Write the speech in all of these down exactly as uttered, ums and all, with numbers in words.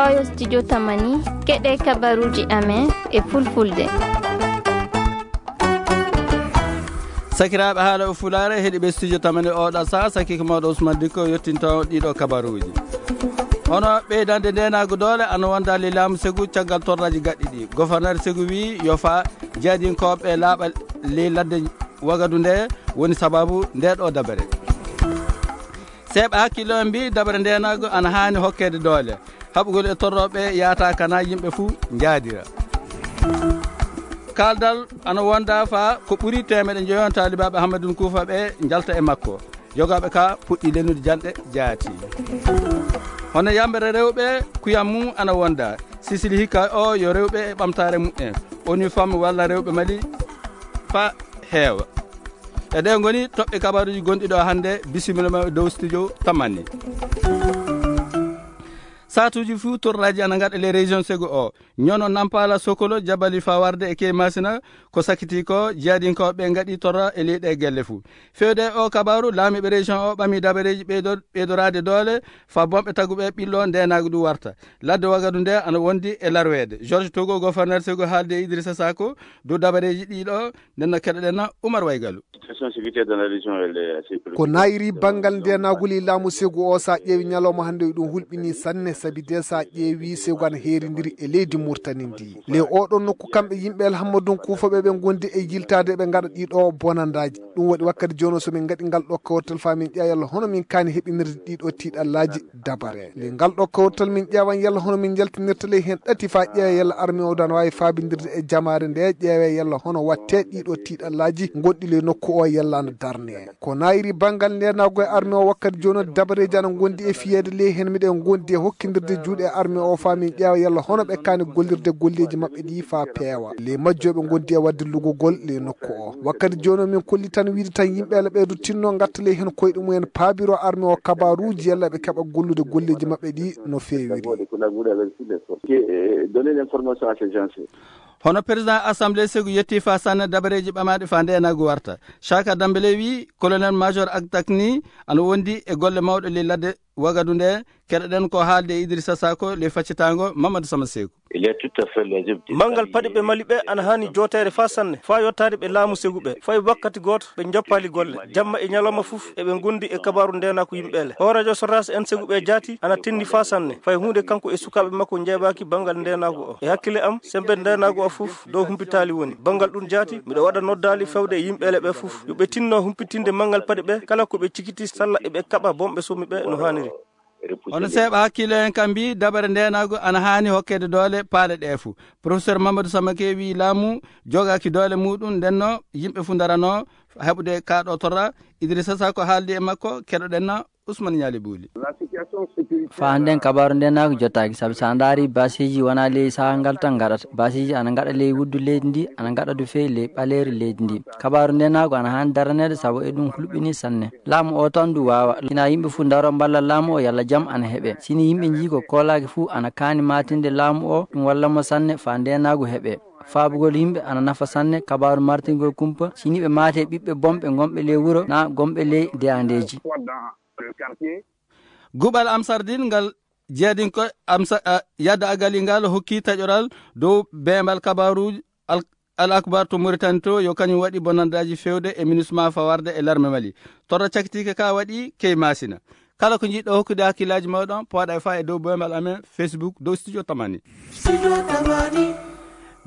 Oyo studio Tamani, keɗe kabaruji amen e fulfulde. Sakiraaɓe haala o fulaare heɗiɓe studio Tamani oɗa saha, sakike mawɗo Ousmane Dikko yettinto ɗiɗo kabaruji. Hono ɓeydande ndenagu doole ana wonda le laamu Segu caggal torraji gaɗɗi ɗi. Gouverneur Segu wi yo fa jeeyadinkoɓe laaɓa ley ladde Wagadu nde woni sababu nde ɗo dabere. Seeɓa hakkillo en mbi dabere ndenagu ana haani hokkede doole. Haɓugol e torroɓe yaata kana yimɓe fuu njaadira. Kaldal ana wonda fa ko ɓuri teemeɗe njoyon taalibaaɓe Hammadun Kuufa ɓe njalta e makko. Jogaaɓe ka puɗɗi lennude janɗe jaati. Hono yambere rewɓe kuyam mum ana wonda. Sisili hikka o yo rewɓe e ɓamtaare mumen. Oni fam walla rewɓe Mali fa heewa. E ɗe ngoni toɓɓe kabaruji gonɗi ɗo hannde, bisimilla ma dow studio Tamani. Satuji fuu torraji ana ngaɗa les régions Segu o. Ñono Nampala, Sokolo, Jabali fa warde e Key Masina, ko sakiti ko jeeyadinkoɓe ngaɗi torra e leyɗe gelle fuu. Fewde o kabaru, laamiiɓe région o ɓami dabareji ɓeydo-, ɓeydorade doole, fa bonɓe taguɓe ɓillo ndenagu du warta. Ladde Wagadu nde ana wondi e larweede. Georges Togo, gouverneur Segu haalde e Idrissa Sako, dow dabareji ɗiɗo, nden no keɗoɗen na Oumar Waygalu. Situation sécuritaire dans la région, elle est assez préoccupante. Ko nayiri banngal ndenagol e laamu Segu o, sa ƴeewi ñalawma hannde, ɗum hulɓini sanne, sabi de sa ƴeewi Segu ana heerindiri e leydi Murtani ndi. Le oɗon nokku kamɓe yimɓe El Hammadun Kuufa ɓe ɓe ngondi e yiltaade ɓe ngaɗa ɗiɗo bonandaji. Ɗum waɗi wakkati jono so min ngaɗi ngal ɗo kawtal fa min ƴeewa yalla hono min kaani heɓinirde ɗiɗo tiiɗallaji dabare. Le ngal ɗo kawtal min ƴeewan yalla hono min njaltinirta ley hen ɗati fa ƴeewa yalla armi o dan waawi faabindirde e jamaare nde, ƴeewa yalla hono watte ɗiɗo tiiɗallaji gonɗi ley nokku o yalla ana darne. Ko nayiri banngal ndenago e armi o wakkati jono dabareji ana gondi e fiyeede ley hen miɗen gondi e hokkindirde juuɗe e armi o fa min ƴeewa yalla hono ɓe kaani gollirde golleji maɓɓe ɗi fa peewa. Le majjoɓe gondi e wadde lugugol le nokku o. Wakkati jooni o min kolli tan wiide tan yimɓe ala ɓeydo tinno ngatta ley heen koyɗe mumen paabiro arme o kabaruuji yalla ɓe keɓa gollude golleeji maɓɓe ɗi no feewiri. Donner l'information à ces gens. Hono président assemblée Segu yetti fa sanne dabareeji ɓamaaɗi fa ndeenaagu warta. Chaka Dambele wi colonel major Agtak ni ana wondi e golle mawɗe ley ladde Wagadu nde. Keɗoɗen ko haalde e Idrissa Sako ley faccitango Mamadou Sama Seku. Il est tout à fait logique de Manngal paɗi ɓe Mali ɓe ana haani jooteede faa sanne, faa yottaade ɓe laamu Segu ɓe. Fay wakkati gooto ɓe njoppaali golle. Jamma e ñalawma fof eɓe ngondi e kabaaru ndeenaaku yimɓe le. O radio Soras en Segu ɓe jaati ana tenndi faa sanne. Fay huunde kanko e sukaaɓe makko njeebaaki banngal ndeenaaku o. E hakkille am, sembe ndeenaaku o fof dow humpitaali woni. Banngal ɗum jaati, miɗo waɗa noddaali fewde e yimɓe le ɓe fof. Yo ɓe tinno humpitinde manngal paɗi ɓe, kala ko ɓe cikiti salla eɓe kaɓa bonɓe somi ɓe no haaniri. Hono seeɓa hakkille en kam mbi dabare ndeenaagu ana haani hokkede doole paale ɗe fuu. Professeur Mamadou Samake wi laamu jogaaki doole muɗum, ndenno yimɓe fuu ndarano heɓude kaaɗo torra. Idrissa Sako haaldi e makko, keɗoɗen na Ousmane Ñaali Buuli. Fa hannden kabaaru ndeenaagu jottaaki, sabi so a ndaari basiiji wonaa ley sahaa ngal tan ngaɗata. Basiiji ana ngaɗa ley wuddu leydi ndi, ana ngaɗa du feewi ley ɓaleeri leydi ndi. Kabaaru ndeenaagu ana haani daraneede sabu e ɗum hulɓini sanne. Laamu o tan du waawa. Ina yimɓe fuu ndaro mballa laamu o yalla jam ana heɓe. Sini yimɓe njii ko koolaaki fuu ana kaani maatinde laamu o, ɗum walla mo sanne faa ndeenaagu heɓe. Faabugol yimɓe ana nafa sanne kabaaru martingol kumpa. Sini ɓe maate ɓiɓɓe bonɓe gonɓe ley wuro na gonɓe ley deyandeeji. Guɓal Amsardin ngal jeeyadinko Amsa-, a, Yadda Agali ngal hokki taƴoral dow beembal kabaaruuji Al, Al Akbar to Mauritanie to, yo kañum waɗi bonandaaji feewde e MINUSMA fawarde e larme Mali. Torra cakitiike ka waɗi key Masina. Kala ko njiɗɗo hokkude hakkillaaji mooɗon, pooɗa e faa e dow boymal amen Facebook dow Studio Tamani.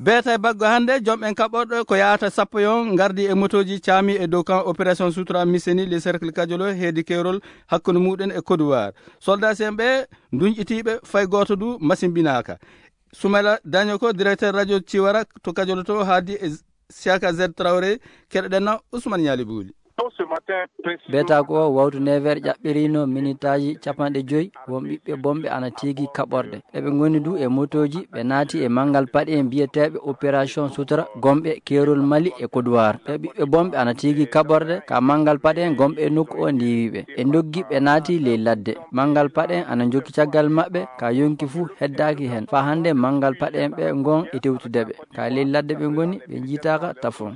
Beeta e baggo hannde, joom en kaɓorɗo ko yaata sappo yon ngardi e motooji caami e dow kan opération Sutura Miseni le cercle Kajolo heedi keerol hakkunde muɗen e Kodowar. Soldat en ɓe dunƴitiiɓe fay gooto du masimbinaaka. Soumela Dagnoko, directeur radio Ciwara to Kajolo to, haaldi e Siaka Z Traoré, keɗoɗen na Ousmane Ñaali Buuli. Beetaaku o wawtu neuf heures ƴaɓɓirino minitaaji capanɗe joyi, won ɓiɓɓe bonɓe ana tiigi kaɓorɗe. Eɓe ngoni du e motooji, ɓe naati e manngal paɗe en biyeteeɓe opération Sutura, gonɓe keerol Mali e Kodowar. Ɓe ɓiɓɓe bonɓe ana tiigi kaɓorɗe, ka manngal paɗe en gonɓe e nokku o ndiiwi ɓe. Ɓe ndoggi, ɓe naati ley ladde. Manngal paɗe en ana jokki caggal maɓɓe, ka yonki fuu heddaaki hen. Faa hannde manngal paɗe en ɓe ngon e tewtude ɓe. Ka ley ladde ɓe ngoni, ɓe njiitaaka tafon.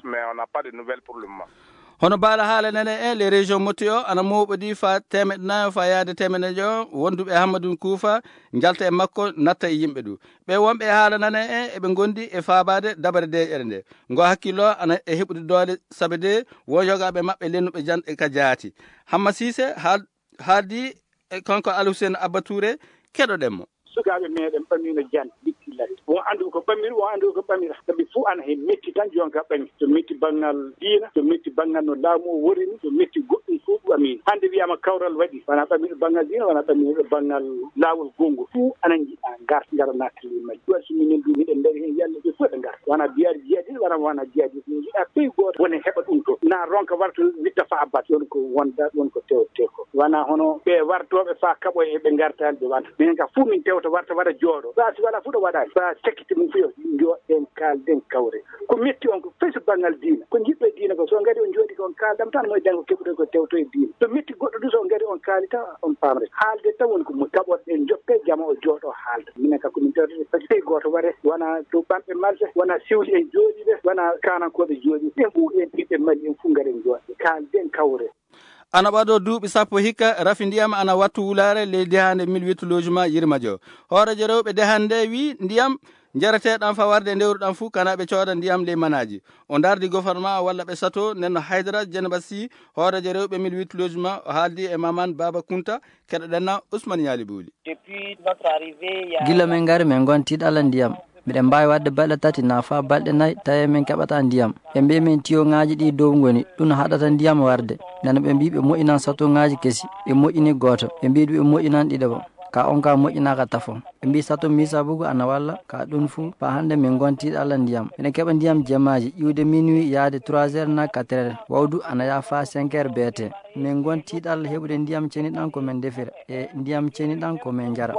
Hono baala haala nane en, les régions motti o ana mooɓodi fa teemeɗe nayo fa yaade teemeɗe nayo wonduɓe e Hammadun Kuufa njalta e makko, natta e yimɓe ɗu. Ɓe wonɓe e haala nane en eɓe ngondi e faabaade dabare deeƴere nde. Ngo hakkillo ana e heɓude doole sabe de won yogaaɓe maɓɓe lennuɓe janɗe ka jaati. Hamma Siise haal-, haaldi e kanko Alhusen Abba Touré, keɗoɗen mo. Sukaaɓe meɗen ɓamino jan bitti ladde. Won andu ko ɓamiri, won andu ko ɓamira. Sabi fuu ana he metti tan jonka ɓami. To metti banngal diina, to metti banngal no laamu o worini, to metti goɗɗum fuu ɓamino. Hannde wiyama kawral waɗi, wona ɓamino banngal diina, wona ɓamino banngal laawol gonngol. Fuu ana njiɗa ngar, ngara nattali majji. Ɗum waɗi so minen du miɗen dari hen yalla ɓe fuu ɓe ngar. Wona biyaade jihadis, wona wona jihadis. Min njiɗa pays gooto woni heɓa ɗum to. Na ronka warto witta fa abbat. Ɗon ko wonda, ɗon ko tewte ko. Wona hono ɓe wartooɓe fa kaɓo e ɓe ngartaani ɓe wanta. Minen ka fuu min tewta warta waɗa jooɗo. Fa si wala fuu ɗo waɗaani. Fa sekkiti mum fuu yo jooɗen kaalden kawre. Ko metti on ko fay so banngal diina. Ko njiɗɗo e diina ko so ngari on jooɗi ko on kaaldam tan moy dango keɓude ko tewto e diina. To metti goɗɗo du so ngari on kaali tan on paamre. Haalde tan woni ko moƴƴi. Kaɓoɗen joppe jama o jooɗo haalda. Minen ka ko min tewta fay gooto ware wona to ɓanɓe malɓe, wona sewli en jooɗiɓe, wona kanankooɓe jooɗi. Ɓen fuu en ɓiɓɓe Mali en fuu ngaren jooɗe. Kaalden kawre. Ana ɓado duuɓi sappo hikka rafi ndiyam ana wattu wulaare ley dehande mille huit logement Yirmajo. Hooreejo rewɓe dehande wi ndiyam jarateɗam fa warde ndewruɗam fuu kana ɓe cooda ndiyam ley manaaji. O ndardi gouvernement walla ɓe sato nenno Haydara Jeneba Sy, hooreejo rewɓe mille huit logement, o haaldi e Maman Baba Kunta, keɗoɗen na Ousmane Yali Bouli. Depuis notre arrivée, il y a Gila min ngari min ngon tiiɗalla ndiyam. Miɗen mbaawi waɗde balɗe tati naa faa balɗe nayi, tawi min keɓataa ndiyam. Ɓe mbii min tiyoŋaaji ɗi dow ngoni, ɗum haɗata ndiyam warde. Nden ɓe mbii ɓe moƴƴinan satoŋaaji kesi, ɓe moƴƴini gooto, ɓe mbii ɓe moƴƴinan ɗiɗaɓo. Ka on ka moƴƴinaaka tafo. Ɓe mbii sato Misabugu ana walla, ka ɗum fuu, faa hannde min ngon tiiɗalla ndiyam. Miɗen keɓa ndiyam jemaaji, iwde minuit yaade trois heures naa quatre heures. Wawdu ana yaha faa cinq heures B T. Min ngon tiiɗalla heɓude ndiyam ceniɗam ko min defira, e ndiyam ceniɗam ko min njara.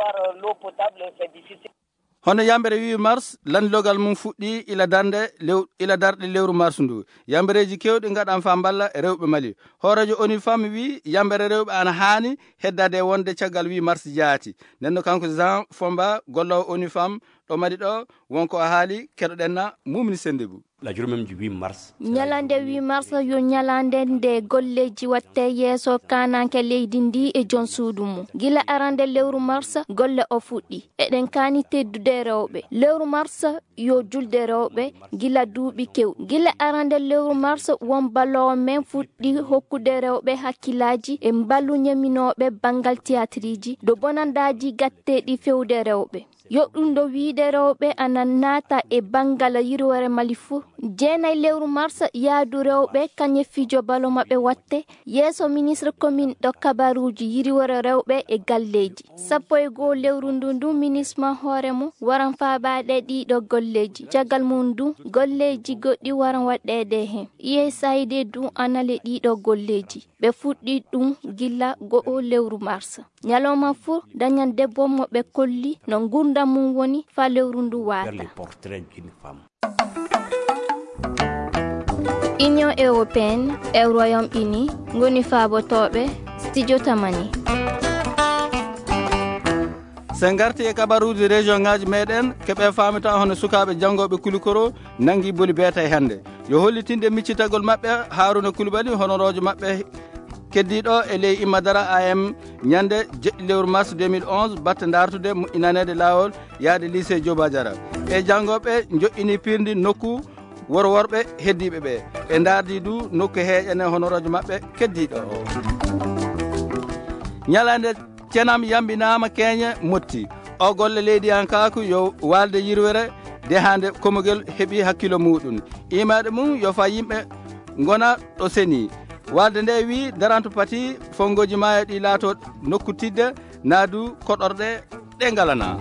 Hono yambere huit mars, landilogal mum fuɗɗi ila darnde lew-, ila darɗe lewru mars ndu. Yambereeji kewɗi ngaɗan faa mballa rewɓe Mali. Hooreejo ONU Femmes wi yambere rewɓe ana haani heddade e wonde caggal huit mars jaati. Nden no kanko Jean Fomba, golloowo ONU Femmes ɗo Mali ɗo, wonko o haali, keɗoɗen na Mumini Sendebu. La journée même du huit mars. Ñalande huit mars yo ñalande nde golleeji watte yeeso kaananke leydi ndi e jon suudu mum. Gila arande lewru mars, golle o fuɗɗi. Eɗen kaani teddude rewɓe. Lewru mars yo julde rewɓe gila duuɓi kew. Gila arande lewru mars, won balloowo men fuɗɗi hokkude rewɓe hakkillaaji e mballu ñaminooɓe banngal tiyatiriji, do bonandaaji gatteeɗi fewde rewɓe. Yo ɗum ɗo wiide rewɓe ana naata e banngal yirwere Mali fuu. Jeenay lewru mars, yaadu rewɓe kañe fijo balo maɓɓe watte yeeso ministre commune ɗo kabaruuji yirwere rewɓe e galleeji. Sappo e goo lewru ndu ndu ministre ma hoore mum waran faabaade ɗiɗo golleeji. Caggal mum ndu, golleeji goɗɗi waran waɗɗeede heen. U S A I D du ana le ɗiɗo golleeji. Ɓe fuɗɗi ɗum gila go'o lewru mars. Ñalawma fuu dañan debbo mo ɓe kolli no ngurndan mum woni faa lewru ndu waata. Union Européenne e Royaume Uni ngoni faabotooɓe Studio Tamani. Sen ngarti e kabaruuji région ŋaaji meɗen, ke ɓe faamita hono sukaaɓe janngooɓe kulikoro nanngi boli beetay hannde. Yo hollitinde miccitagol maɓɓe, Haruna Koulibaly, honoroojo maɓɓe keddiiɗo e ley Immadara A M, ñande jeɗɗi lewru mars deux mille onze, batte ndaartude moƴƴinaneede laawol yaade lycée Joba Jara. E janngooɓe njoƴƴini pirndi nokku woro worɓe heddiiɓe ɓe. Ɓe ndaardi du nokku heeƴane honoroojo maɓɓe keddiiɗo o. Ñalande cenam yambinaama keeñe motti. O golle leydiyankaaku yo waalde yirwere de hande komogel heɓi hakkilo muɗum. Imaade mum yo fa yimɓe ngona ɗo seni. Waalde nde wi daranto pati fongoji maayo ɗi laato nokku tidde naadu koɗorɗe ɗe ngalana.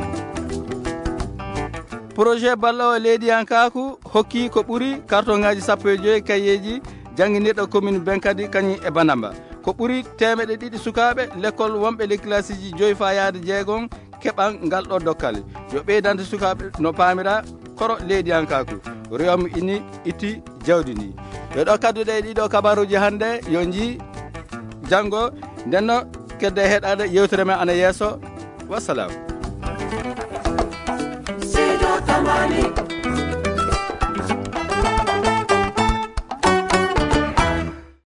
Projet ballowo leydiyankaaku hokki ko ɓuri kartoŋaaji sappo e joyi kayeeji jannginirɗo commune Benkadi kañum e Banamba. Ko ɓuri teemeɗe ɗiɗi sukaaɓe lekkol wonɓe ley kilasiiji joyi faa yahde jeegom keɓan ngal ɗo dokkal. Yo ɓeydande sukaaɓe no paamira koro leydiyankaaku. Royaume Uni itti jawdi ndi. Yo ɗo kadduɗe e ɗiɗo kabaruuji hannde, yo njii janngo. Ndenno kedde heɗaade yewtere men ana yeeso. Wassalam. Seydi Tamani.